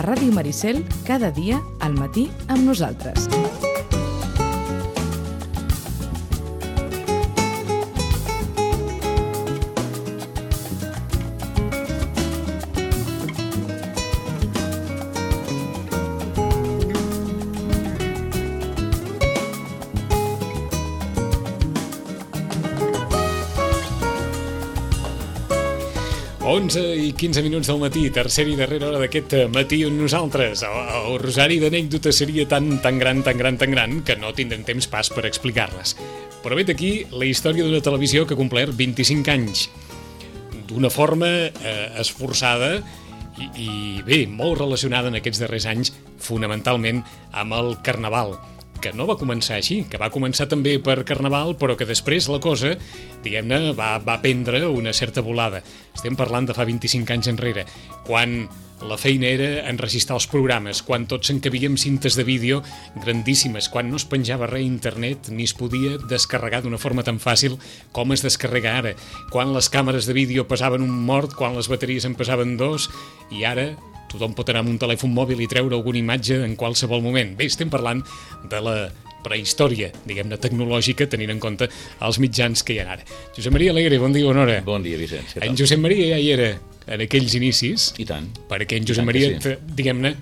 Ràdio Maricel, cada dia al matí amb nosaltres. I 15 minuts del matí, tercera i darrera hora d'aquest matí on nosaltres, el rosari d'anècdotes seria tan gran que no tindrem temps pas per explicar-les. Però vet aquí la història d'una televisió que ha complert 25 anys d'una forma esforçada i bé, molt relacionada en aquests darrers anys fonamentalment amb el Carnaval, que no va començar així, que va començar també per Carnaval, però que després la cosa, diguem-ne, va prendre una certa volada. Estem parlant de fa 25 anys enrere, quan la feina era enregistrar els programes, quan tots encavíem cintes de vídeo grandíssimes, quan no es penjava res a internet ni es podia descarregar d'una forma tan fàcil com es descarrega ara, quan les càmeres de vídeo pesaven un mort, quan les bateries en pesaven 2, i ara tothom pot anar amb un telèfon mòbil i treure alguna imatge en qualsevol moment. Bé, estem parlant de la prehistòria, diguem-ne, tecnològica, tenint en compte els mitjans que hi ha ara. Josep Maria Alegre, bon dia, bona hora. Bon dia, Vicenç. En Josep Maria ja hi era en aquells inicis. I tant. Perquè en Josep Maria, diguem-ne,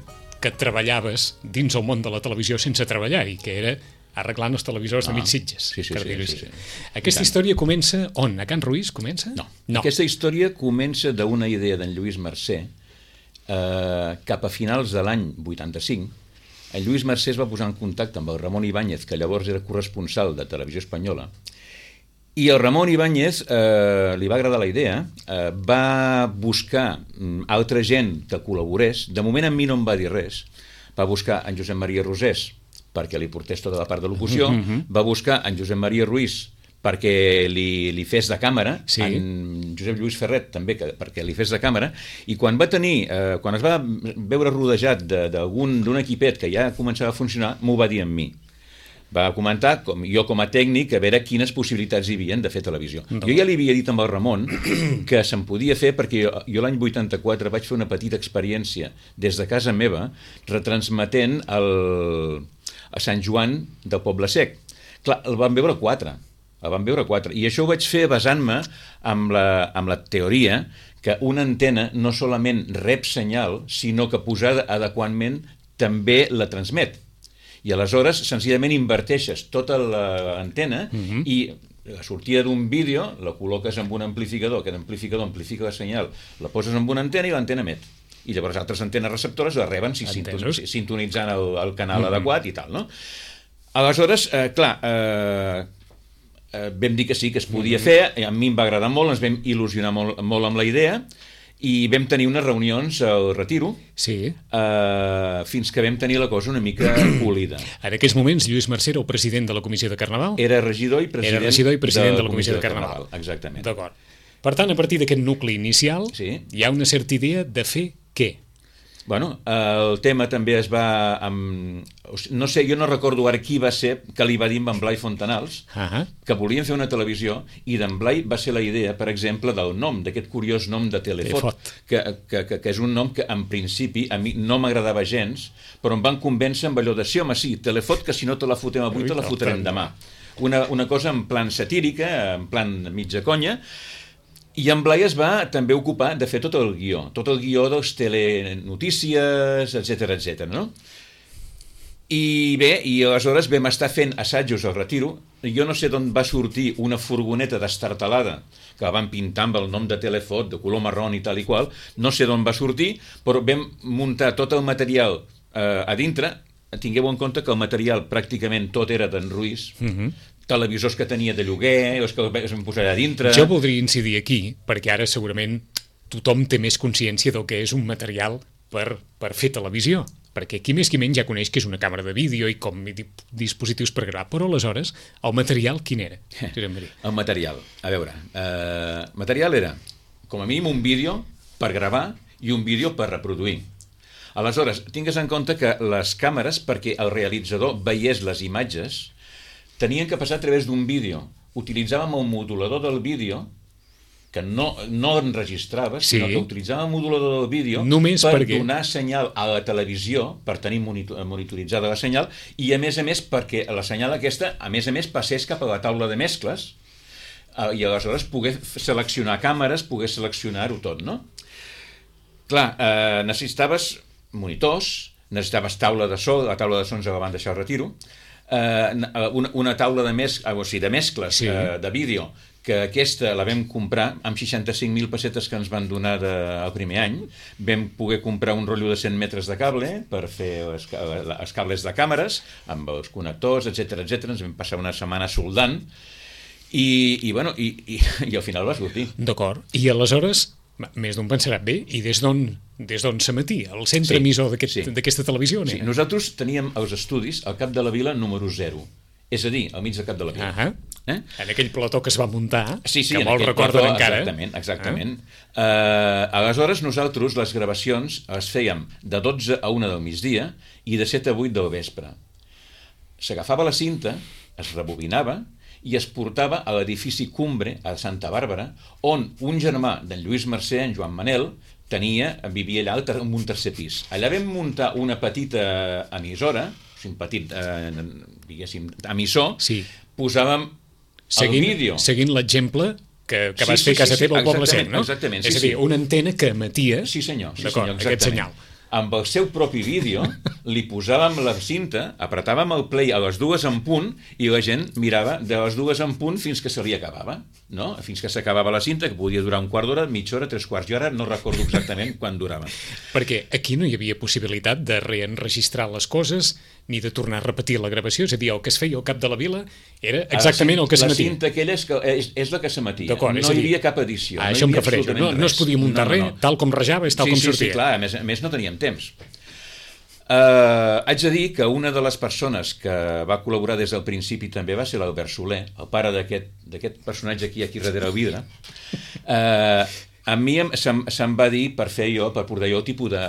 que treballaves dins el món de la televisió sense treballar i que era arreglant els televisors de mig Sitges. Sí. Aquesta història comença on? A Can Ruiz comença? No. Aquesta història comença d'una idea d'en Lluís Mercè. Cap a finals de l'any 85, en Lluís Mercè es va posar en contacte amb el Ramon Ibáñez, que llavors era corresponsal de Televisió Espanyola, i el Ramon Ibáñez li va agradar la idea, va buscar altra gent que col·laborés. De moment a mi no em va dir res. Va buscar en Josep Maria Rosés perquè li portés tota la part de locució, va buscar en Josep Maria Ruiz perquè li fes de càmera, en Josep Lluís Ferret també perquè li fes de càmera, i quan es va veure rodejat d'un equipet que ja començava a funcionar, m'ho va dir a mi. Va comentar, jo com a tècnic, a veure quines possibilitats hi havia de fer televisió. Jo ja li havia dit amb el Ramon que se'n podia fer perquè jo l'any 84 vaig fer una petita experiència des de casa meva retransmetent a Sant Joan del Poble Sec. Clar, el van veure quatre. I això ho vaig fer basant-me amb la teoria que una antena no solament rep senyal, sinó que posada adequadament també la transmet. I aleshores, senzillament, inverteixes tota l'antena i la sortida d'un vídeo la col·loques amb un amplificador, aquest amplificador amplifica la senyal, la poses amb una antena i l'antena emet. I llavors altres antenes receptores la reben sintonitzant el canal adequat i tal, no? Aleshores, clar, vam dir que sí, que es podia fer, a mi em va agradar molt, ens vam il·lusionar molt amb la idea i vam tenir unes reunions al Retiro fins que vam tenir la cosa una mica polida. En aquells moments Lluís Mercè era el president de la Comissió de Carnaval? Era regidor i president de la Comissió de Carnaval. Exactament. D'acord. Per tant, a partir d'aquest nucli inicial hi ha una certa idea de fer què? Bueno, el tema també es va... No sé, jo no recordo ara qui va ser que li va dir amb en Blai Fontanals que volien fer una televisió i d'en Blai va ser la idea, per exemple, del nom, d'aquest curiós nom de Telefot, que és un nom que en principi a mi no m'agradava gens, però em van convèncer amb allò de sí, home, sí, Telefot, que si no te la fotem avui te la fotrem demà. Una cosa en plan satírica, en plan mitja conya. I en Blai es va també ocupar de fer tot el guió dels telenotícies, etc, no? I bé, i aleshores vam estar fent assajos al Retiro. Jo no sé d'on va sortir una furgoneta destartalada que la van pintar amb el nom de Telefot, de color marró i tal i qual, no sé d'on va sortir, però vam muntar tot el material a dintre. Tingueu en compte que el material pràcticament tot era d'en Ruiz, televisors que tenia de lloguer, els que es van posar a dintre... Jo voldria incidir aquí, perquè ara segurament tothom té més consciència del que és un material per fer televisió, perquè qui més qui menys ja coneix que és una càmera de vídeo i com dispositius per gravar, però aleshores el material quin era? El material, a veure, material era com a mínim un vídeo per gravar i un vídeo per reproduir. Aleshores, tingues en compte que les càmeres, perquè el realitzador veiés les imatges, tenien que passar a través d'un vídeo. Utilitzàvem el modulador del vídeo que no enregistraves, Sí. sinó que utilitzava el modulador del vídeo Només per perquè- donar senyal a la televisió, per tenir monitoritzada la senyal, i a més perquè la senyal aquesta, a més passés cap a la taula de mescles, i aleshores poder seleccionar càmeres, poder seleccionar-ho tot, no? Clar, necessitaves monitors, necessitaves taula de so, la taula de so ens la van deixar al retiro, una taula de mescles Sí. de vídeo, que aquesta la vam comprar amb 65.000 pessetes que ens van donar el primer any. Vam poder comprar un rotllo de 100 metres de cable per fer els cables de càmeres, amb els connectors, etc. Ens vam passar una setmana soldant, i al final va sortir. D'acord. I aleshores, més d'un pensarà, bé, i des d'on s'emetí? El centre Sí, emissor sí. d'aquesta televisió? Sí, nosaltres teníem els estudis al Cap de la Vila número 0, és a dir, al mig del Cap de la Vila. En aquell plató que es va muntar, Sí, que en molts aquell recorden plató, encara. Exactament. Aleshores, nosaltres les gravacions les fèiem de 12 a 1 del migdia i de 7 a 8 del vespre. S'agafava la cinta, es rebobinava i es portava a l'edifici Cumbre, a Santa Bàrbara, on un germà d'en Lluís Mercè, en Joan Manel, vivia allà en un tercer pis. Allà vam muntar una petita emissora, un petit, diguéssim, emissor, Sí. posàvem el vídeo. Seguint l'exemple que Sí, vas sí, fer a casa sí, teva al Poble exactament, Sec, no? exactament, sí, És a dir, sí. una antena que emetia Sí senyor, d'acord, aquest senyal. Amb el seu propi vídeo li posàvem la cinta, apretàvem el play a les 2 en punt i la gent mirava de les 2 en punt fins que se li acabava, no? Fins que s'acabava la cinta, que podia durar un quart d'hora, mitja hora, 3 quarts. Jo ara no recordo exactament quan durava. Perquè aquí no hi havia possibilitat de reenregistrar les coses ni de tornar a repetir la gravació, és a dir, el que es feia al Cap de la Vila era exactament el que La s'emetia. cinta aquella és la que s'emetia. D'acord, No és a dir, hi havia cap edició. a no hi això em havia refereixo. absolutament No es res. podia muntar res, tal com rajava és tal com sortia. Sí, clar, a més no teníem temps. Haig de dir que una de les persones que va col·laborar des del principi també va ser l'Albert Soler, el pare d'aquest personatge aquí darrere el vidre. A mi se'm va dir per portar jo el tipus de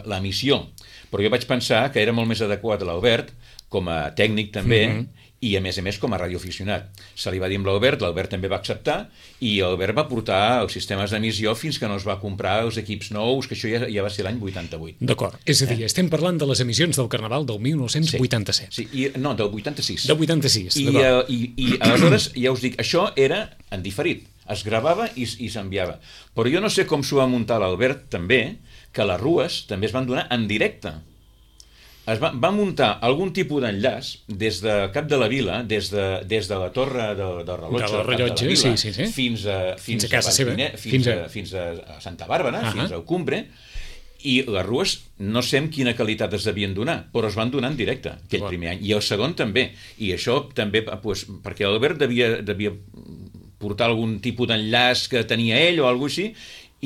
l'emissió, però jo vaig pensar que era molt més adequat l'Albert com a tècnic també, i a més com a radioaficionat. Se li va dir amb l'Albert també va acceptar, i l'Albert va portar els sistemes d'emissió fins que no es va comprar els equips nous, que això ja va ser l'any 88. D'acord, és a dir, estem parlant de les emissions del Carnaval del 1987. Sí, no, del 86. Del 86, I aleshores, ja us dic, això era en diferit. Es gravava i s'enviava. Però jo no sé com s'ho va muntar l'Albert també, que les rues també es van donar en directe. Va muntar algun tipus d'enllaç des de Cap de la Vila, des de la torre del rellotge, sí. fins a casa seva, fins a Santa Bàrbara, fins al Cumbre, i les rues no sé amb quina qualitat es devien donar, però es van donar en directe aquell primer any, i el segon també, i això també perquè l'Albert devia portar algun tipus d'enllaç que tenia ell o alguna cosa així,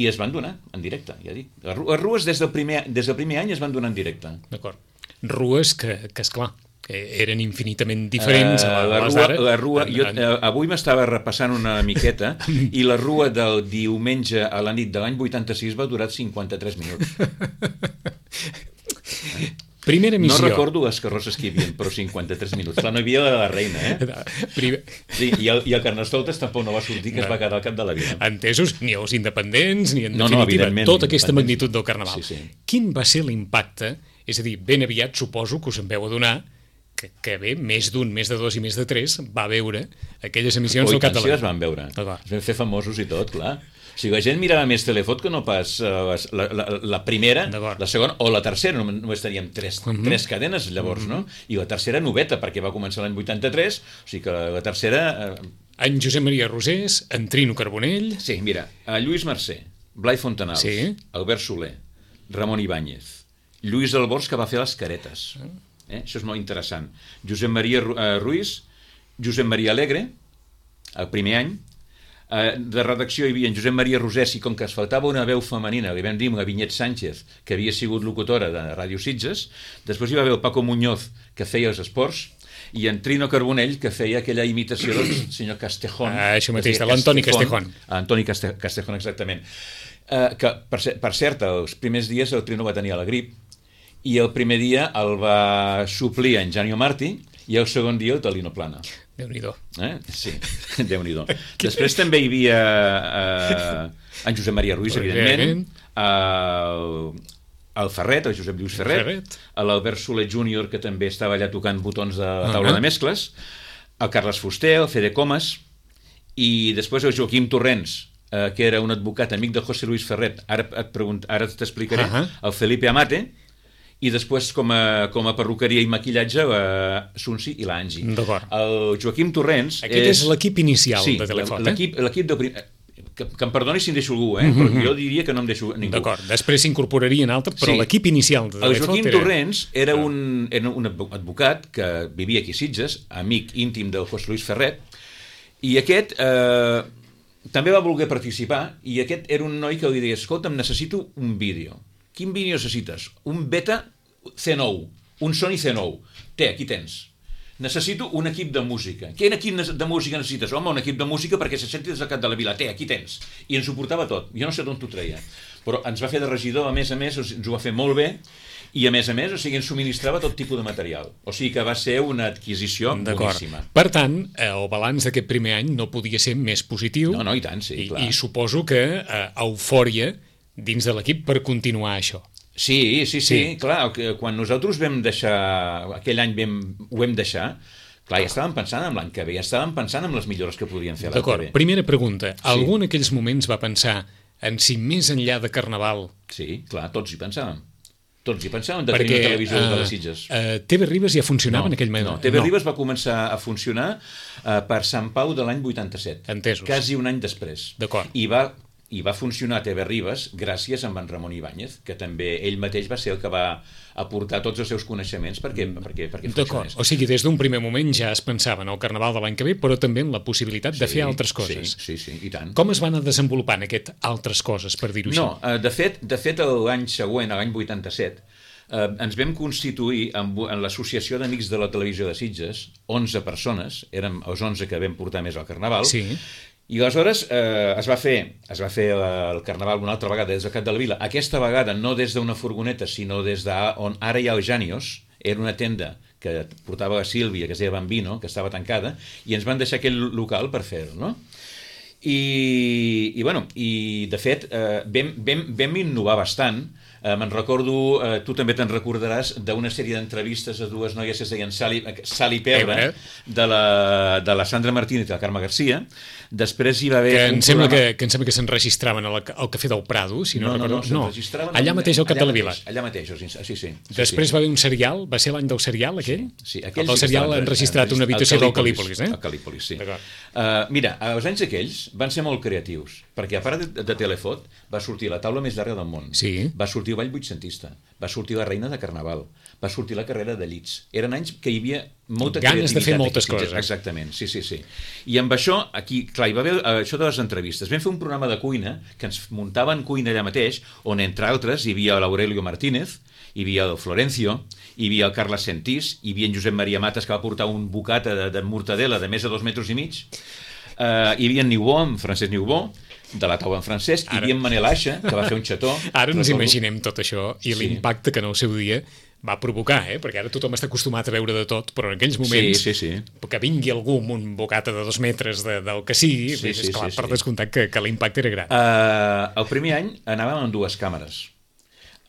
i es van donar en directe, ja dic. Les rues des del primer any es van donar en directe. D'acord. Rues que esclar, eren infinitament diferents a les d'ara. La rua, avui m'estava repassant una miqueta i la rua del diumenge a la nit de l'any 86 va durar 53 minuts. Primera missió. No recordo les carrosses que hi havia, però 53 minuts. Clar, no hi havia la reina, Sí, i el Carnestoltes tampoc no va sortir, que es va quedar al Cap de la Vila. Entesos, ni els independents, ni en definitiva, tota aquesta magnitud del Carnaval. Sí. Quin va ser l'impacte? És a dir, ben aviat suposo que us en veu adonar que bé, més d'un, més de dos i més de tres va veure aquelles emissions del Cap de la Vila. Es van veure. Es van fer famosos i tot, clar. O sigui, la gent mirava més Telefot que no pas la primera, la segona o la tercera. Només teníem tres cadenes llavors, no? I la tercera noveta, perquè va començar l'any 83, o sigui que la tercera... En Josep Maria Rosés, en Trino Carbonell... Sí, mira, Lluís Mercè, Blai Fontanals, Albert Soler, Ramon Ibáñez, Lluís Albors, que va fer les caretes. Això és molt interessant. Josep Maria Ruiz, Josep Maria Alegre, el primer any. De redacció hi havia en Josep Maria Rosés, i com que es faltava una veu femenina, li vam dir la Vinyet Sánchez, que havia sigut locutora de Ràdio Sitges. Després hi va haver el Paco Muñoz, que feia els esports, i en Trino Carbonell, que feia aquella imitació del senyor Castejón. Això mateix, de l'Antoni Castejón. Antoni Castejón, exactament. Que, per cert, els primers dies el Trino va tenir la grip, i el primer dia el va suplir en Janio Martí, i el segon dia el Talino Plana. Déu-n'hi-do. Sí, Déu-n'hi-do. Després també hi havia en Josep Maria Ruiz, evidentment, el Ferret, el Josep Lluís Ferret, l'Albert Soler Júnior, que també estava allà tocant botons de la taula de mescles, el Carles Fuster, el Fede Comas, i després el Joaquim Torrents, que era un advocat amic de José Luis Ferret, ara t'explicaré, el Felipe Amate, i després com a perruqueria i maquillatge Sunsi i l'Angi. El Joaquim Torrents... Aquest és l'equip inicial de Telefot. L'equip de primer... Que em perdoni si em deixo algú, però jo diria que no em deixo ningú. D'acord, després s'incorporaria en altre, però l'equip inicial de Telefot... El Joaquim Torrents era un advocat que vivia aquí a Sitges, amic íntim del José Luis Ferret, i aquest també va voler participar, i aquest era un noi que li deia, escolta'm, necessito un vídeo. Quin vídeo necessites? Un Beta C9, un Sony C9. Aquí tens. Necessito un equip de música. Quin equip de música necessites? Home, un equip de música perquè se senti des del cap de la vila. Aquí tens. I ens ho portava tot. Jo no sé d'on t'ho treia. Però ens va fer de regidor, a més, ens ho va fer molt bé, i a més, o sigui, ens subministrava tot tipus de material. O sigui que va ser una adquisició boníssima. Per tant, el balanç d'aquest primer any no podia ser més positiu. No, i tant, sí, clar. I suposo que eufòria dins de l'equip per continuar això. Sí, clar, quan nosaltres vam deixar, aquell any ho vam deixar, clar, ja estàvem pensant en l'any que ve, ja estàvem pensant en les millores que podríem fer l'any que ve. D'acord, primera pregunta, algú en aquells moments va pensar en si més enllà de Carnaval... Sí, clar, tots hi pensàvem. Tots hi pensàvem de tenir una televisió de les Sitges. TV Ribes ja funcionava en aquell moment? No, TV Ribes va començar a funcionar per Sant Pau de l'any 87. Entesos. Quasi un any després. D'acord. I va funcionar a TV Ribes gràcies a en Ramon Ibáñez, que també ell mateix va ser el que va aportar tots els seus coneixements perquè funcionés. D'acord, o sigui, des d'un primer moment ja es pensava en el Carnaval de l'any que ve, però també en la possibilitat de fer altres coses. Sí, i tant. Com es van anar desenvolupant aquest altres coses, per dir-ho així? No, de fet l'any següent, l'any 87, ens vam constituir en l'Associació d'Amics de la Televisió de Sitges, 11 persones, érem els 11 que vam portar més al Carnaval, i aleshores es va fer el Carnaval una altra vegada des del Cap de la Vila, aquesta vegada no des d'una furgoneta, sinó des d'on ara hi ha el Janios, era una tenda que portava la Sílvia, que es deia Bambino, que estava tancada, i ens van deixar aquell local per fer-ho, no? I de fet vam innovar bastant. Me'n recordo, tu també te'n recordaràs d'una sèrie d'entrevistes a dues noies que es deien Sal i Pebre, de la Sandra Martínez i la Carme Garcia. Després hi va haver que em sembla que s'enregistraven al Cafè del Prado, si no recordo. No, allà mateix al Cap de la Vila. Allà mateix, sí. Després va haver un serial, va ser l'any del serial aquell? Sí, el serial han registrat una habitació del Calípolis, El Calípolis, sí. Mira, els anys aquells van ser molt creatius, perquè a part de Telefot va sortir La taula més llarga del món, va sortir el Ball vuitcentista, va sortir La reina de Carnaval, va sortir La carrera de llits. Eren anys que hi havia molta creativitat. Ganes de fer moltes coses. Exactament, sí. I amb això, aquí, clar, hi va haver això de les entrevistes. Vam fer un programa de cuina, que ens muntaven cuina allà mateix, on, entre altres, hi havia l'Aurelio Martínez, hi havia el Florencio, hi havia el Carles Sentís, hi havia en Josep Maria Matas, que va portar un bocata de mortadela de més de 2,5 metres. Hi havia en Niubó, en Francesc Niubó, de la taula en Francesc, hi havia en Manel Aixa, que va fer un xató. Ara ens imaginem tot això i l'impacte que en el seu dia va provocar, perquè ara tothom està acostumat a veure de tot, però en aquells moments que vingui algú amb un bocata de 2 metres del que sigui, és clar, per descomptat que l'impacte era gran. El primer any anàvem amb 2 càmeres.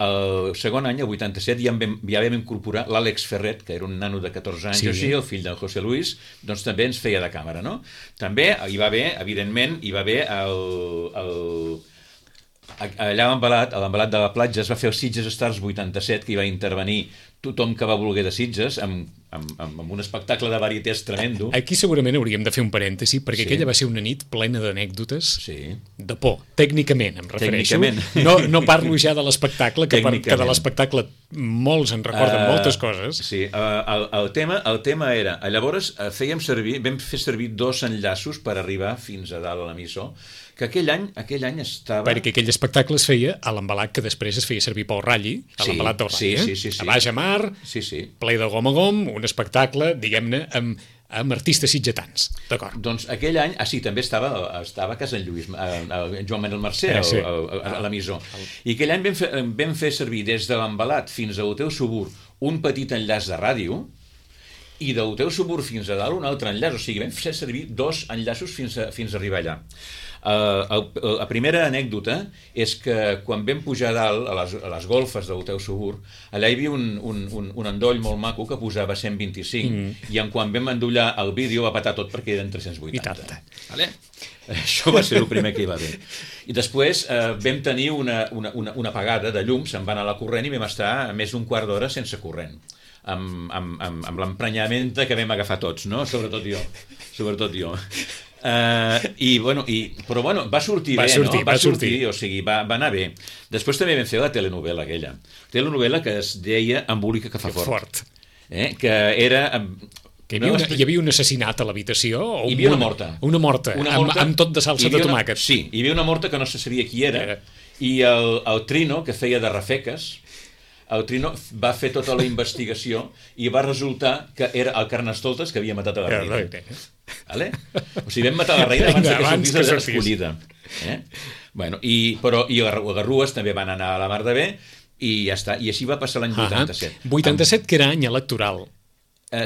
El segon any, el 87, ja vam incorporar l'Àlex Ferret, que era un nano de 14 anys, el fill del José Luis, doncs també ens feia de càmera, no? També hi va haver, evidentment, allà a l'embalat de la platja es va fer el Sitges Stars 87, que hi va intervenir tothom que va voler de Sitges amb un espectacle de varietés tremendo. Aquí segurament hauríem de fer un parèntesi, perquè aquella va ser una nit plena d'anècdotes de por, tècnicament em refereixo. No parlo ja de l'espectacle, que de l'espectacle molts en recorden moltes coses. Sí, el tema era, llavors vam fer servir 2 enllaços per arribar fins a dalt a l'emissor, que aquell any estava... Perquè aquell espectacle es feia a l'embalat que després es feia servir pel Ralli, a l'embalat del Ralli, a baix a mar, ple de gom a gom, un espectacle, diguem-ne, amb artistes sitgetans, d'acord? Doncs aquell any, també estava a casa en Lluís, Joan Manuel Mercè, a l'emissor. I aquell any vam fer servir des de l'embalat fins a l'Hotel Subur un petit enllaç de ràdio, i del teu subur fins a dalt un altre enllaç, o sigui, vam fer servir 2 enllaços fins a arribar allà. La primera anècdota és que quan vam pujar a dalt, a les golfes del teu subur, allà hi havia un endoll molt maco que posava 125, i quan vam endollar el vídeo va patar tot perquè eren 380. Vale? Això va ser el primer que hi va haver. I després vam tenir una apagada de llum, se'n va anar la corrent i vam estar més d'un quart d'hora sense corrent, amb l'emprenyament que vam agafar tots, no? Sobretot jo. Però va sortir bé, no? Va sortir, o sigui, va anar bé. Després també vam fer la telenovela aquella. Telenovela que es deia Embolica que fa fort. Que era... Hi havia un assassinat a l'habitació? Hi havia una morta. Una morta, amb tot de salsa de tomàquet. Sí, hi havia una morta que no se sabia qui era, i el Trino, que feia de Rafeques, el Trino va fer tota la investigació i va resultar que era el Carnestoltes que havia matat a la reina. Vale? O sigui, vam matar la reina abans que sortís escollida. Però Garrues també van anar a la mar de bé i ja està. I així va passar l'any 87. 87, que era any electoral.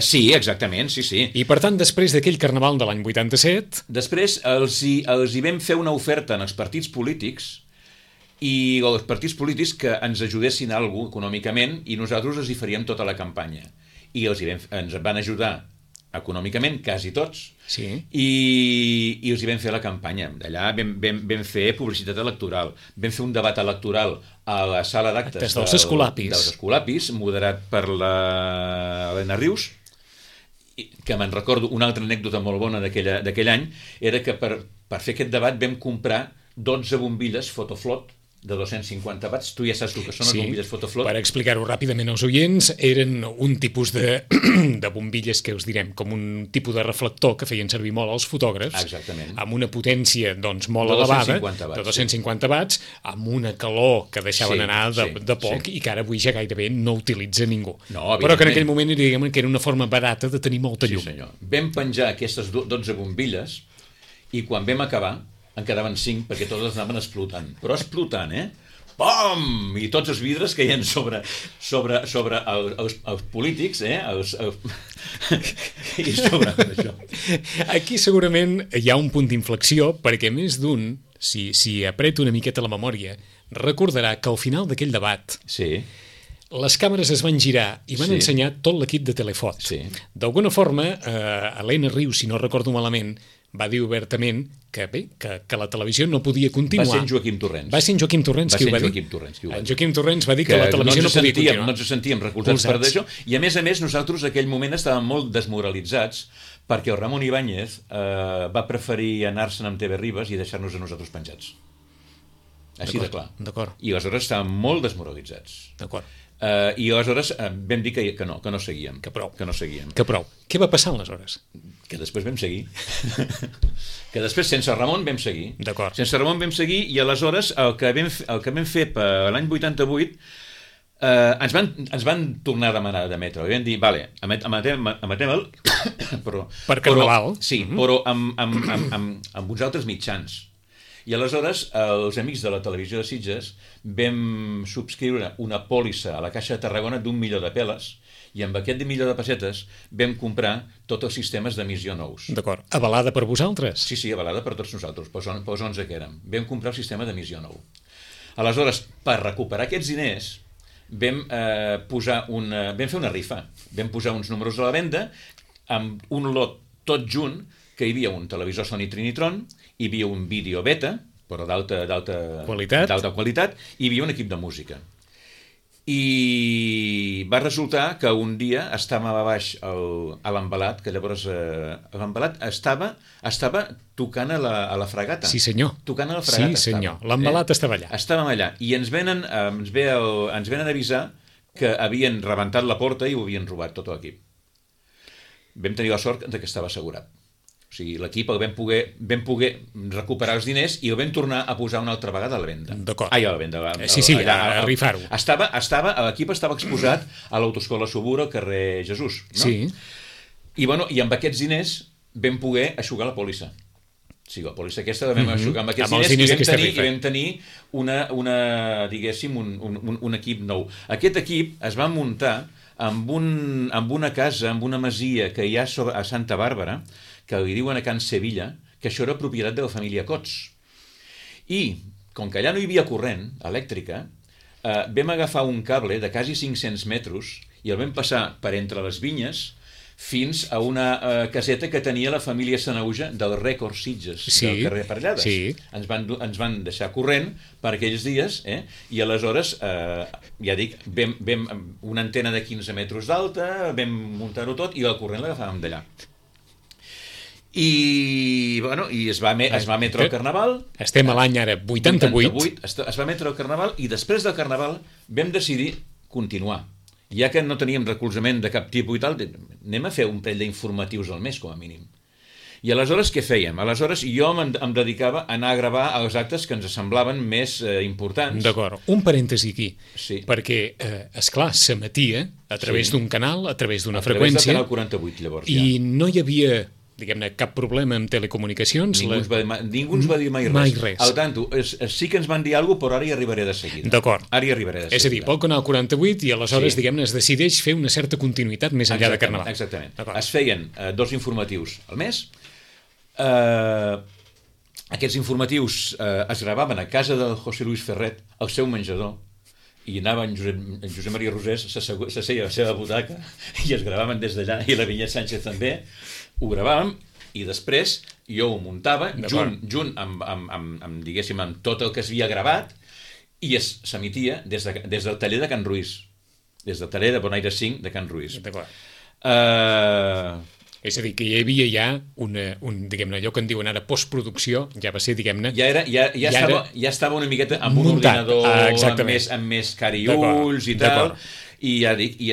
Sí, exactament, sí. I per tant, després d'aquell carnaval de l'any 87... Després els hi vam fer una oferta en els partits polítics i els partits polítics que ens ajudessin alguna econòmicament i nosaltres els hi faríem tota la campanya. I ens van ajudar econòmicament, quasi tots, i els hi vam fer la campanya. Allà vam fer publicitat electoral, vam fer un debat electoral a la sala d'actes dels Escolapis, moderat per l'Helena Rius, que me'n recordo, una altra anècdota molt bona d'aquell any, era que per fer aquest debat vam comprar 12 bombilles Fotoflot de 250 watts. Tu ja saps el que són les bombilles Fotoflot. Per explicar-ho ràpidament als oients, eren un tipus de bombilles que us direm, com un tipus de reflector que feien servir molt els fotògrafs. Exactament. Amb una potència molt elevada, de 250 watts, amb una calor que deixaven anar de poc i que ara avui ja gairebé no utilitza ningú. Però que en aquell moment diguem que era una forma barata de tenir molta llum. Sí, senyor. Vam penjar aquestes 12 bombilles i quan vam acabar en quedaven 5 perquè totes anaven explotant. Però explotant, Pom! I tots els vidres caien sobre els polítics, i sobre això. Aquí segurament hi ha un punt d'inflexió, perquè més d'un, si apreta una miqueta la memòria, recordarà que al final d'aquell debat les càmeres es van girar i van ensenyar tot l'equip de Telefot. D'alguna forma, Helena Rius, si no recordo malament, va dir obertament que la televisió no podia continuar. Va ser en Joaquim Torrents. Va ser en Joaquim Torrents qui ho va dir. En Joaquim Torrents va dir que la televisió no podia continuar. No ens sentíem recolzats per això. I a més, nosaltres en aquell moment estàvem molt desmoralitzats perquè el Ramon Ibáñez va preferir anar-se'n amb TV Ribes i deixar-nos a nosaltres penjats. Així de clar. I aleshores estàvem molt desmoralitzats. I aleshores vam dir que no seguíem. Que prou. Què va passar aleshores? Que després vam seguir. Que després, sense Ramon, vam seguir. Sense Ramon vam seguir i aleshores el que vam fer per l'any 88 ens van tornar a demanar d'emetre. Vam dir, vale, emetem-el per carnaval. Sí, però amb uns altres mitjans. I aleshores els amics de la televisió de Sitges vam subscriure una pòlissa a la Caixa de Tarragona d'1 milió de peles i amb aquest milió de pessetes vam comprar tots els sistemes d'emissió nous. D'acord. Avalada per vosaltres? Sí, avalada per tots nosaltres, pels 11 que érem. Vam comprar el sistema d'emissió nou. Aleshores, per recuperar aquests diners, vam fer una rifa. Vam posar uns números a la venda amb un lot tot junt, que hi havia un televisor Sony Trinitron, hi havia un vídeo beta, però d'alta qualitat, i hi havia un equip de música. I va resultar que un dia estàvem a baix a l'Embalat, que llavors l'Embalat estava tocant a la Fragata. Sí, senyor. Tocant a la Fragata. Sí, senyor. L'Embalat estava allà. Estàvem allà. I ens venen avisar que havien rebentat la porta i ho havien robat tot l'equip. Vam tenir la sort que estava assegurat. O sigui, l'equip vam poder recuperar els diners i el vam tornar a posar una altra vegada a la venda. D'acord. A la venda. A rifar-ho. L'equip estava exposat a l'autoescola Subura al carrer Jesús. No? Sí. I amb aquests diners vam poder eixugar la pòlissa. Sí, la pòlissa aquesta la vam eixugar amb aquests diners i vam tenir diguéssim, un equip nou. Aquest equip es va muntar amb una casa, amb una masia que hi ha a Santa Bàrbara, que li diuen a Can Sevilla, que això era propietat de la família Cots. I, com que allà no hi havia corrent elèctrica, vam agafar un cable de quasi 500 metres i el vam passar per entre les vinyes fins a una caseta que tenia la família Sanauja del Rècord Sitges, del carrer Parellades. Sí. Ens van deixar corrent per aquells dies, i aleshores, ja dic, vam una antena de 15 metres d'alta, vam muntar-ho tot i el corrent l'agafàvem d'allà. I es va emetre el Carnaval. Estem a l'any ara 88. Es va emetre el Carnaval i després del Carnaval vam decidir continuar. Ja que no teníem recolzament de cap tipus i tal, anem a fer un parell d'informatius al mes, com a mínim. I aleshores què fèiem? Aleshores jo em dedicava a anar a gravar els actes que ens semblaven més importants. D'acord, un parèntesi aquí, sí. Perquè, esclar, s'emetia a través d'un canal, a través d'una freqüència, a través del canal 48, llavors, i no hi havia, diguem-ne, cap problema amb telecomunicacions. Ningú ens va dir mai res. Al tanto, sí que ens van dir alguna cosa, però ara hi arribaré de seguida. D'acord. Ara hi arribaré de seguida. És a dir, pel canal 48 i aleshores, diguem-ne, es decideix fer una certa continuïtat més enllà de Carnaval. Exactament. Es feien 2 informatius al mes. Aquests informatius es gravaven a casa del José Luis Ferret, al seu menjador, i anava en Josep Maria Rosés, s'asseia a la seva butaca i es gravaven des d'allà, i la Vinyet Sánchez també. Ho gravàvem i després jo ho muntava junt amb diguéssim, amb tot el que s'havia gravat i s'emetia des del taller de Can Ruiz, des del taller de Bonaire 5 de Can Ruiz. És a dir, que hi havia ja diguem-ne, allò que en diuen ara postproducció, ja va ser, diguem-ne... Ja estava una miqueta amb un ordinador amb més cari i ulls i tal... I ja dic, I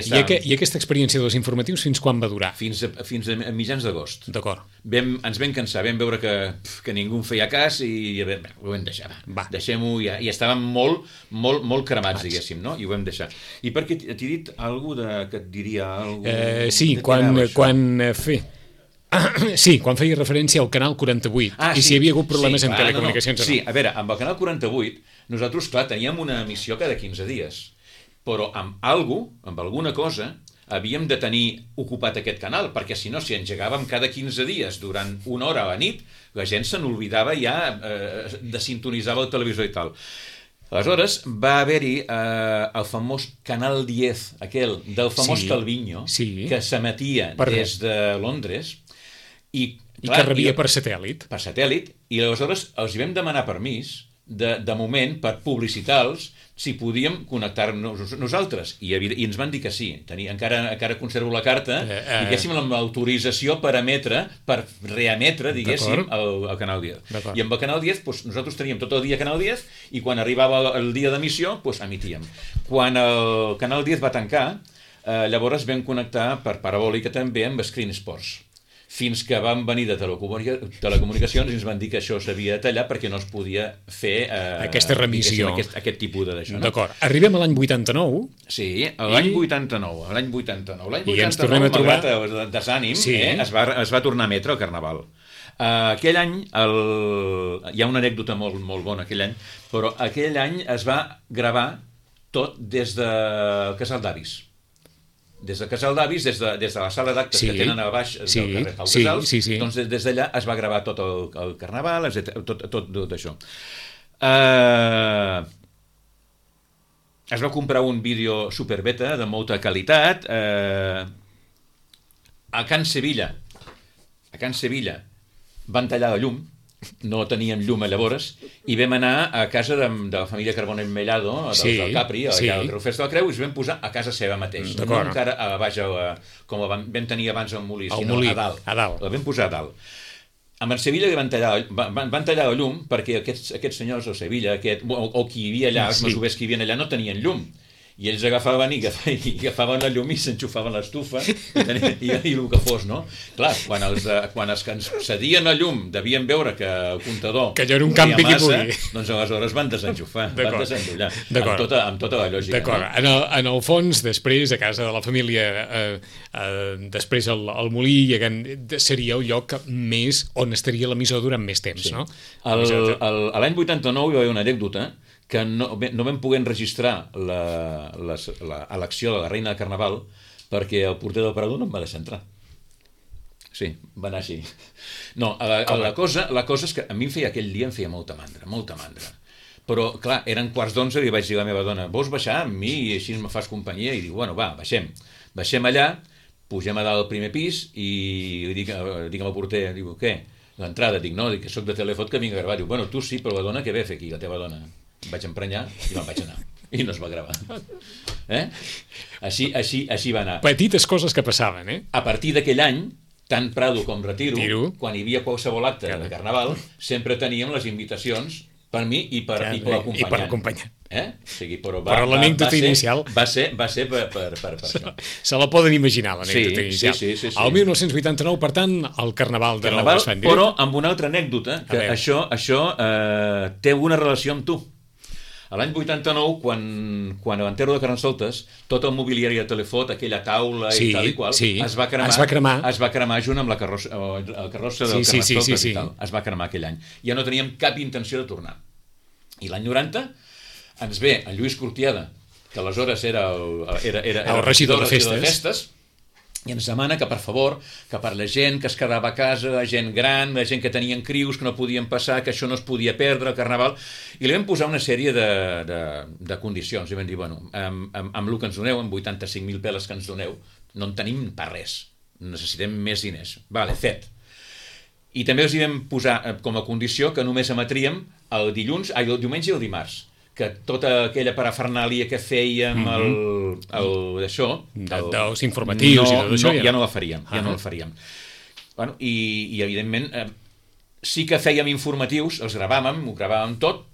aquesta experiència dels informatius fins quan va durar? Fins a mitjans d'agost. D'acord. Ens vam cansar, vam veure que ningú en feia cas i ho vam deixar. Deixem-ho, i estàvem molt cremats, diguéssim, no? I ho vam deixar. I perquè t'he dit alguna cosa que et diria alguna cosa... Sí, quan feia referència al Canal 48 i si hi havia hagut problemes amb telecomunicacions. Sí, a veure, amb el Canal 48 nosaltres, clar, teníem una emissió cada 15 dies. Però amb alguna cosa, havíem de tenir ocupat aquest canal, perquè si no, si engegàvem cada 15 dies durant una hora a la nit, la gent se n'oblidava ja de sintonitzar el televisor i tal. Aleshores, va haver-hi el famós Canal 10, aquell del famós Calviño, que s'emetia des de Londres, i que rebia per satèl·lit. Per satèl·lit, i aleshores els hi vam demanar permís, de moment, per publicitar-los, si podíem connectar-nos nosaltres. I ens van dir que sí. Encara conservo la carta, diguéssim, amb l'autorització per reemetre, diguéssim, el Canal 10. I amb el Canal 10, nosaltres teníem tot el dia Canal 10, i quan arribava el dia d'emissió, emitíem. Quan el Canal 10 va tancar, llavors vam connectar per parabòlica també amb Screen Sports. Fins que van venir de telecomunicacions i ens van dir que això s'havia de tallar perquè no es podia fer aquesta remissió, aquest tipus d'això. D'acord. Arribem a l'any 89. Sí, l'any 89. L'any 89, I ens tornem a trobar... malgrat el desànim, es va tornar a emetre el Carnaval. Aquell any, hi ha una anècdota molt bona aquell any, però aquell any es va gravar tot des del Casal d'Avis. Des del Casal d'Avis, des de la sala d'actes que tenen a baix del carrer Pau Casals, doncs des d'allà es va gravar tot el Carnaval, tot això. Es va comprar un vídeo superbeta de molta qualitat. A Can Sevilla van tallar la llum, no teníem llum llavors, i vam anar a casa de la família Carbonell Mellado, del Capri, allà al Festa de la Creu, i ens vam posar a casa seva mateix. No encara a baix, com vam tenir abans al Molí, sinó a dalt. La vam posar a dalt. Amb en Sevilla van tallar la llum perquè aquests senyors de Sevilla, o qui hi havia allà, els masovers que hi havia allà, no tenien llum. I ells agafaven la llum i s'enxufaven l'estufa i el que fos, no? Clar, quan els que ens cedien la llum devien veure que el comptador que allò era un campi que pugui, doncs aleshores van desenxufar, van desendollar, amb tota la lògica. D'acord. En el fons, després, a casa de la família, després al Molí, seria el lloc més on estaria l'emissor durant més temps, no? L'any 89 hi va haver una anècdota que no vam poder enregistrar l'elecció de la Reina de Carnaval perquè el porter del Parador no em va deixar entrar. Sí, va anar així. No, la cosa és que a mi aquell dia em feia molta mandra. Però, clar, eren 11:15 i li vaig dir a la meva dona, vols baixar amb mi i així me fas companyia? I dic, bueno, va, baixem. Baixem allà, pugem a dalt al primer pis i dic al porter, diu, què? L'entrada, dic, no, que soc de Telefot que vinc a gravar. Diu, bueno, tu sí, però la dona què ve a fer aquí, la teva dona? Em vaig emprenyar i me'n vaig anar. I no es va gravar. Així va anar. Petites coses que passaven, eh? A partir d'aquell any, tant Prado com Retiro, quan hi havia qualsevol acte de Carnaval, sempre teníem les invitacions per mi i per l'acompanyant. O sigui, però l'anècdota inicial va ser per això. Se la poden imaginar, l'anècdota inicial. Sí. El 1989, per tant, el Carnaval de Nou es fa en directe. Però amb una altra anècdota, que això té una relació amb tu. L'any 89, quan a l'enterro de Carnestoltes, tot el mobiliari de Telefot, aquella taula i tal i qual, es va cremar junt amb el carrossa del Carnestoltes i tal. Es va cremar aquell any. Ja no teníem cap intenció de tornar. I l'any 90 ens ve en Lluís Cortiada, que aleshores era el regidor de festes, i ens demana que, per favor, que per la gent que es quedava a casa, la gent gran, la gent que tenien crius, que no podien passar, que això no es podia perdre, el Carnaval, i li vam posar una sèrie de condicions. I vam dir, bueno, amb el que ens doneu, amb 85.000 peles que ens doneu, no en tenim per res, necessitem més diners. Vale, fet. I també els hi vam posar com a condició que només emetríem el diumenge i el dimarts, que tota aquella parafernàlia que fèiem d'això dels informatius i tot això ja no la faríem, Bueno, i evidentment sí que fèiem informatius, els gravàvem, ho gravàvem tot,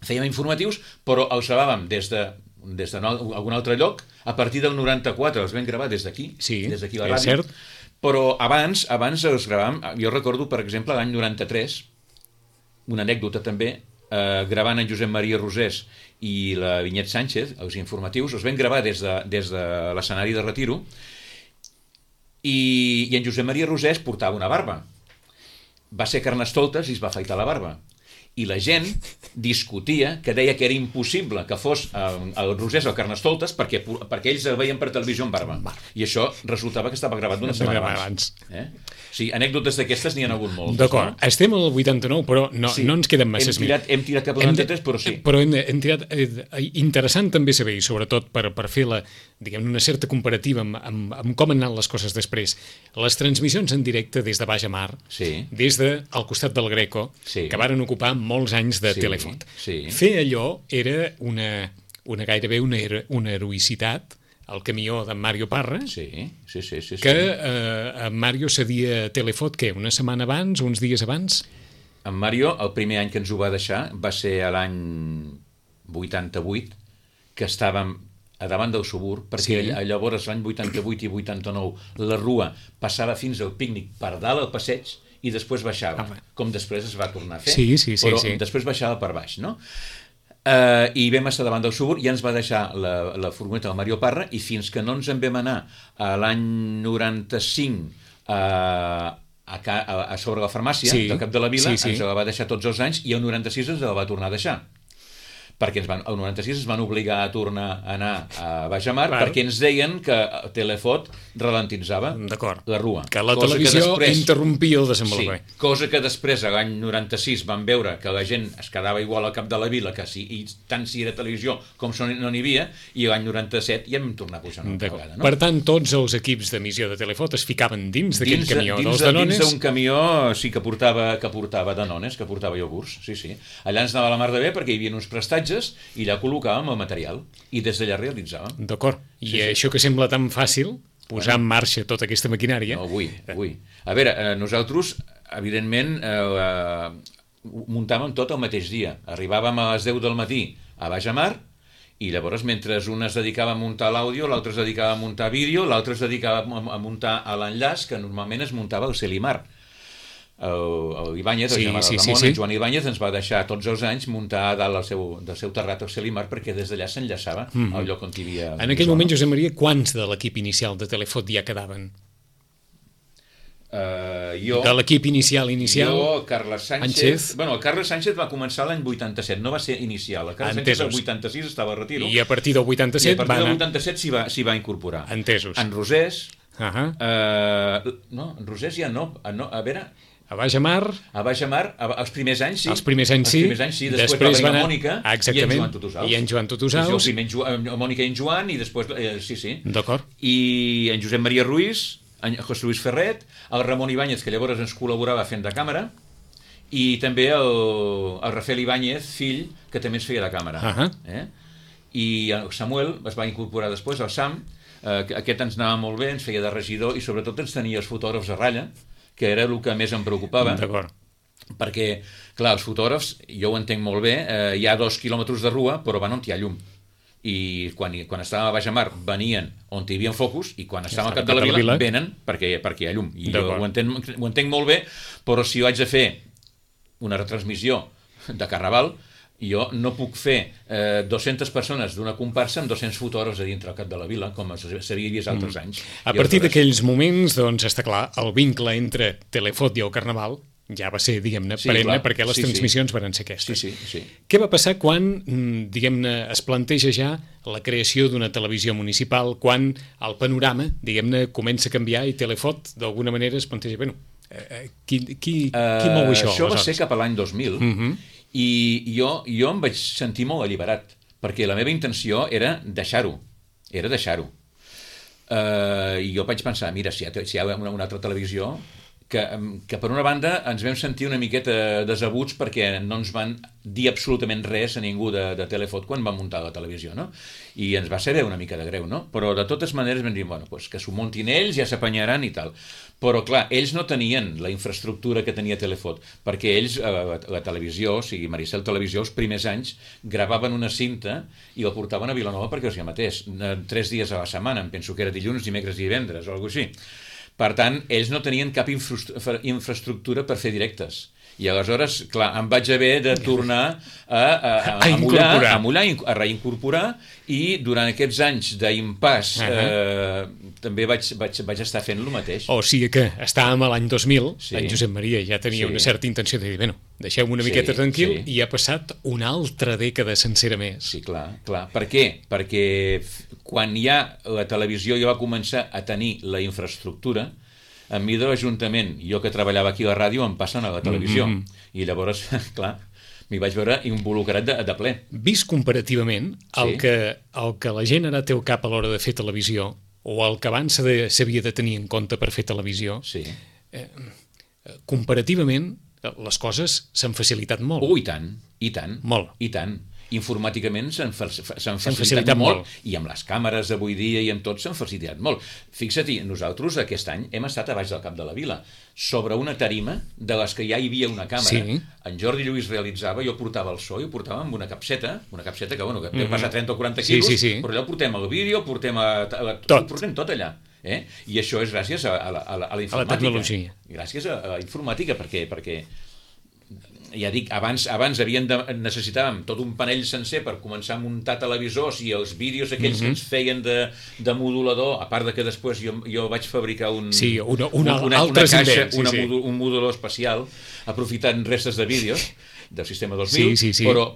fèiem informatius, però els gravàvem des d'algun altre lloc. A partir del 94 els vam gravar des d'aquí, des d'aquí la ràdio, però abans els gravàvem. Jo recordo, per exemple, l'any 93, una anècdota també, gravant en Josep Maria Rosés i la Vinyet Sánchez, els informatius, els vam gravar des de l'escenari de Retiro, i en Josep Maria Rosés portava una barba. Va ser Carnestoltes i es va afaitar la barba. I la gent discutia, que deia que era impossible que fos el Rosés o el Carnestoltes perquè ells el veien per televisió amb barba. I això resultava que estava gravat d'una setmana abans. Sí, anècdotes d'aquestes n'hi ha hagut moltes. D'acord, estem al 89, però no ens queden masses més. Hem tirat cap al 93, però sí. Però hem tirat... Interessant també saber, i sobretot per fer una certa comparativa amb com han anat les coses després. Les transmissions en directe des de Baix a Mar, des del costat del Greco, que varen ocupar molts anys de Telefot. Fer allò era gairebé una heroïcitat, el camió d'en Mario Parra, que en Mario cedia Telefot, què, una setmana abans, uns dies abans? En Mario, el primer any que ens ho va deixar, va ser a l'any 88, que estàvem a davant del Subur, perquè llavors l'any 88 i 89 la rua passava fins al pícnic per dalt al passeig i després baixava, com després es va tornar a fer, però després baixava per baix, no? I vam estar davant del Subur i ens va deixar la furgoneta del Mario Parra, i fins que no ens en vam anar a l'any 95 a sobre la farmàcia del Cap de la Vila, ens la va deixar tots els anys, i el 96 ens la va tornar a deixar, perquè el 96 es van obligar a tornar a anar a Baix a Mar, perquè ens deien que Telefot ralentitzava la rua. Que la televisió interrompia el desenvolupament. Cosa que després, a l'any 96, van veure que la gent es quedava igual al Cap de la Vila, que i tant si era televisió com no n'hi havia, i l'any 97 ja vam tornar a pujar una altra vegada. Per tant, tots els equips d'emissió de Telefot es ficaven dins d'aquell camió dels Danones? Dins d'un camió, sí, que portava Danones, que portava iogurts, sí. Allà ens anava la mar de bé perquè hi havia uns prestatges i allà col·locàvem el material i des d'allà realitzàvem. D'acord. I això que sembla tan fàcil, posar en marxa tota aquesta maquinària... No, vull. A veure, nosaltres, evidentment, muntàvem tot el mateix dia. Arribàvem a les 10 del matí a Baix a Mar, i llavors, mentre un es dedicava a muntar l'àudio, l'altre es dedicava a muntar vídeo, l'altre es dedicava a muntar l'enllaç, que normalment es muntava el Celimar. El Ibáñez, el germà del Ramon, en Joan Ibáñez, ens va deixar tots els anys muntar a dalt del seu terrat el Celimar, perquè des d'allà s'enllaçava al lloc on hi havia... En aquell moment, Josep Maria, quants de l'equip inicial de Telefot ja quedaven? De l'equip inicial. Jo, Carles Sánchez... Sánchez. Bueno, el Carles Sánchez va començar l'any 87, no va ser inicial. El Carles Sánchez el 86 estava a retiro. I a partir del 87 I a partir del 87 s'hi va incorporar. Entesos. En Rosés... No, en Rosés ja no. A veure... A Baix Amar, els primers anys sí. Els primers anys sí. Després va venir Mònica i en Joan Tutusaus. Primer Mònica i en Joan i després... Sí. D'acord. I en Josep Maria Ruiz, en José Luis Ferret, el Ramon Ibáñez, que llavors ens col·laborava fent de càmera, i també el Rafael Ibáñez, fill, que també ens feia de càmera. I el Samuel es va incorporar després, el Sam, aquest ens anava molt bé, ens feia de regidor i sobretot ens tenia els fotògrafs a ratlla, que era el que més em preocupava. D'acord. Perquè, clar, els fotògrafs, jo ho entenc molt bé, hi ha 2 quilòmetres de rua, però van on hi ha llum. I quan estàvem a Baix Amar venien on hi havia focus, i quan estàvem al cap de la vila venen perquè hi ha llum. I jo ho entenc molt bé, però si jo haig de fer una retransmissió de Carnaval, jo no puc fer 200 persones d'una comparsa amb 200 fotògrafs a dintre al cap de la vila, com s'havia vist altres anys. A partir d'aquells moments, doncs, està clar, el vincle entre Telefot i el Carnaval ja va ser, diguem-ne, perenne, perquè les transmissions van ser aquestes. Sí. Què va passar quan, diguem-ne, es planteja ja la creació d'una televisió municipal, quan el panorama, diguem-ne, comença a canviar i Telefot, d'alguna manera, es planteja, bueno, qui mou això? Això va ser cap a l'any 2000, i jo em vaig sentir molt alliberat, perquè la meva intenció era deixar-ho. I jo vaig pensar, mira, si hi ha una altra televisió, que per una banda ens vam sentir una miqueta desabuts perquè no ens van dir absolutament res a ningú de Telefot quan van muntar la televisió, no? I ens va saber una mica de greu, no? Però de totes maneres vam dir, bueno, pues que s'ho muntin ells, ja s'apanyaran i tal. Però clar, ells no tenien la infraestructura que tenia Telefot, perquè ells, la televisió, o sigui, Maricel Televisió, els primers anys, gravaven una cinta i la portaven a Vilanova perquè els hi emetés 3 dies a la setmana, em penso que era dilluns, dimecres i divendres, o alguna cosa així. Per tant, ells no tenien cap infraestructura per fer directes. I aleshores, clar, em vaig haver de tornar a mullar, a reincorporar, i durant aquests anys d'impàs també vaig estar fent el mateix. O sigui que estàvem a l'any 2000, en Josep Maria ja tenia una certa intenció de dir, bueno, deixeu-me una miqueta tranquil, i ha passat una altra dècada sencera més. Sí, clar. Per què? Perquè quan ja la televisió ja va començar a tenir la infraestructura, a mi de l'Ajuntament, jo que treballava aquí a la ràdio, em passen a la televisió. I llavors, clar, m'hi vaig veure involucrat de ple. Vist comparativament, el que la gent ara té al cap a l'hora de fer televisió, o el que abans s'havia de tenir en compte per fer televisió, comparativament, les coses s'han facilitat molt. I tant. Molt. I tant. Informàticament s'han facilitat molt, i amb les càmeres d'avui dia i amb tot s'han facilitat molt. Fixa't, nosaltres aquest any hem estat a baix del cap de la vila, sobre una tarima de les que ja hi havia una càmera. En Jordi Lluís realitzava, jo portava el so i ho portava amb una capseta que deu passar 30 o 40 quilos, però allò portem el vídeo, portem tot allà. I això és gràcies a la informàtica. A la tecnologia. Gràcies a la informàtica, perquè ja dic, abans necessitàvem tot un panell sencer per començar a muntar televisors, i els vídeos aquells que ens feien de modulador, a part de que després jo vaig fabricar una caixa, un modulador especial, aprofitant restes de vídeos del sistema 2000,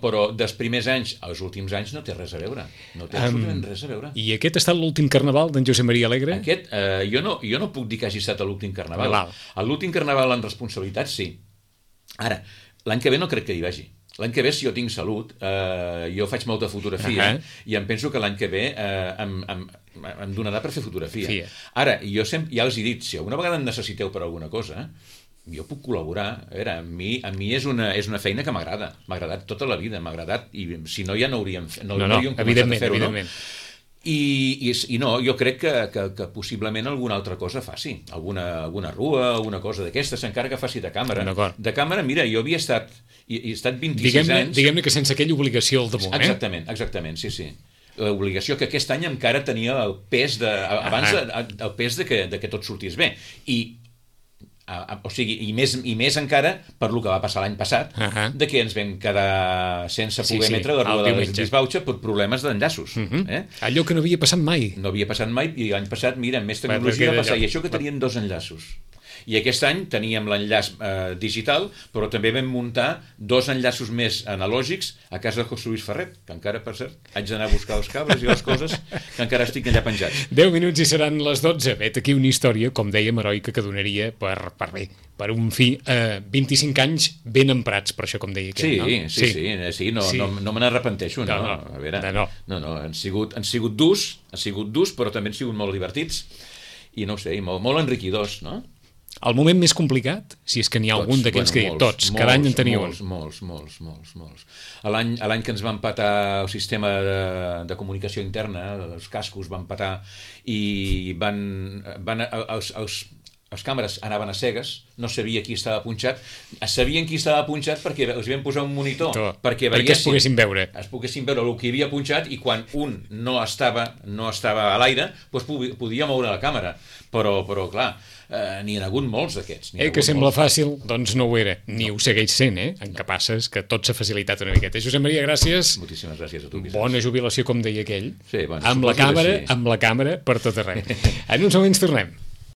però dels primers anys als últims anys no té res a veure. No té absolutament res a veure. I aquest ha estat l'últim Carnaval d'en Josep Maria Alegre? Aquest, jo no puc dir que hagi estat l'últim Carnaval. L'últim Carnaval en responsabilitat, sí. Ara, l'any que ve no crec que hi vagi. L'any que ve, si jo tinc salut, jo faig molta fotografia, i em penso que l'any que ve em donarà per fer fotografia. Ara, jo ja els he dit, si alguna vegada em necessiteu per alguna cosa, jo puc col·laborar. A mi és una feina que m'agrada. M'ha agradat tota la vida, m'ha agradat, i si no ja no hauríem començat a fer-ho, no? I no, jo crec que possiblement alguna altra cosa faci, alguna rua, alguna cosa d'aquestes, encara que faci de càmera. De càmera, mira, jo havia estat 26 anys... Diguem-ne que sense aquella obligació al damunt, Exactament, sí. L'obligació que aquest any encara tenia el pes de que tot sortís bé. I més encara per lo que va passar l'any passat, de que ens vam quedar sense poder emetre la Rua de la Disbauxa per problemes d'enllaços. Allò que no havia passat mai. No havia passat mai, i l'any passat, mira, amb més tecnologia va passar, i això que tenien 2 enllaços. I aquest any teníem l'enllaç digital, però també vam muntar 2 enllaços més analògics a casa de José Luis Ferret, que encara, per cert, haig d'anar a buscar els cables i les coses, que encara estic allà penjats. 10 minuts i seran les 12. Vet aquí una història, com dèiem, heroica, que donaria per un fi 25 anys ben emprats, per això, com deia aquell, no? Sí, no me n'arrepenteixo, no. A veure, no, han sigut durs, però també han sigut molt divertits i no ho sé, molt enriquidors, no? El moment més complicat, si és que n'hi ha algun d'aquells que diuen tots, cada any en teniu un. Molts. L'any que ens va empatar el sistema de comunicació interna, els cascos van empatar i els càmeres anaven a cegues, no sabia qui estava punxat, sabien qui estava punxat perquè els vam posar un monitor, perquè es poguessin veure. Es poguessin veure el que hi havia punxat, i quan un no estava a l'aire, doncs podia moure la càmera. Però clar, n'hi ha hagut molts d'aquests. Que sembla fàcil, doncs no ho era. Ni ho segueix sent, En què passes que tot s'ha facilitat una miqueta. Josep Maria, gràcies. Moltíssimes gràcies a tu, Vicenç. Bona jubilació, com deia aquell. Sí, amb la càmera per tot arreu. En uns moments tornem.